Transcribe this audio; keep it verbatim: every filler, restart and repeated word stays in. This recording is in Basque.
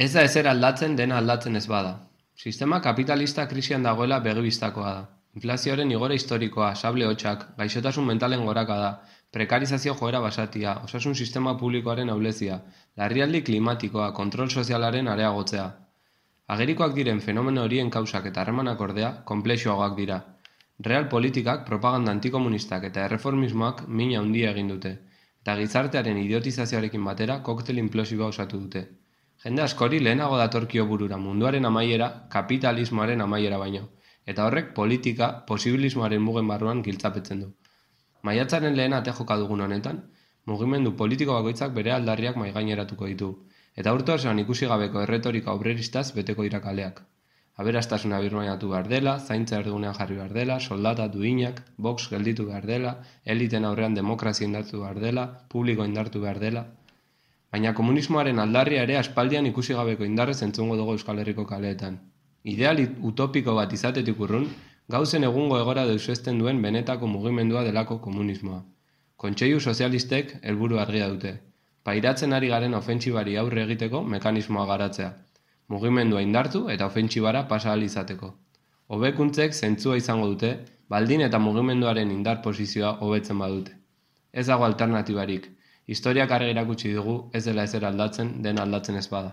Ez da ezer aldatzen dena aldatzen ez bada. Sistema kapitalista krisian dagoela begibistakoa da. Inflazioaren igora historikoa, sable hotxak, gaixotasun mentalen gorakada, prekarizazio joera basatia, osasun sistema publikoaren ahulezia, larrialdi klimatikoa, kontrol sozialaren areagotzea. Agerikoak diren fenomeno horien kausak eta harremanak ordea, konplexuagoak dira. Real politikak, propaganda antikomunistak eta erreformismoak mina handia egin dute, eta gizartearen idiotizazioarekin batera koktel inplosiboa osatu dute. Jende askori lehenago datorkio burura munduaren amaiera, kapitalismoaren amaiera baino, eta horrek politika posibilismoaren mugen barruan giltzapetzen du. Maiatzaren lehen ate joka dugun honetan, mugimendu politiko bakoitzak bere aldarriak maigaineratuko ditu, eta urte osoan ikusi gabeko erretorika obreristaz beteko dira kaleak. Aberastasuna birmainatu behar dela, zaintza erdugunean jarri behar dela, soldata duinak, box gelditu behar dela, eliten aurrean demokrazia indartu behar dela, publiko indartu behar dela. Baina komunismoaren aldarria ere aspaldian ikusi gabeko indarrez entzungo dugu Euskal Herriko kaleetan. Ideal utopiko bat izatetik urrun, gauzen egungo egora deusezten duen benetako mugimendua delako komunismoa. Kontseilu sozialistek helburu argia dute. Pairatzen ari garen ofentsibari aurre egiteko mekanismoa garatzea. Mugimendua indartu eta ofentsibara pasa ahal izateko. Hobekuntzek zentzua izango dute, baldin eta mugimenduaren indar posizioa hobetzen badute. Ez dago alternatibarik. Historiak argi erakutsi dugu ez dela ezer aldatzen, dena aldatzen ez bada.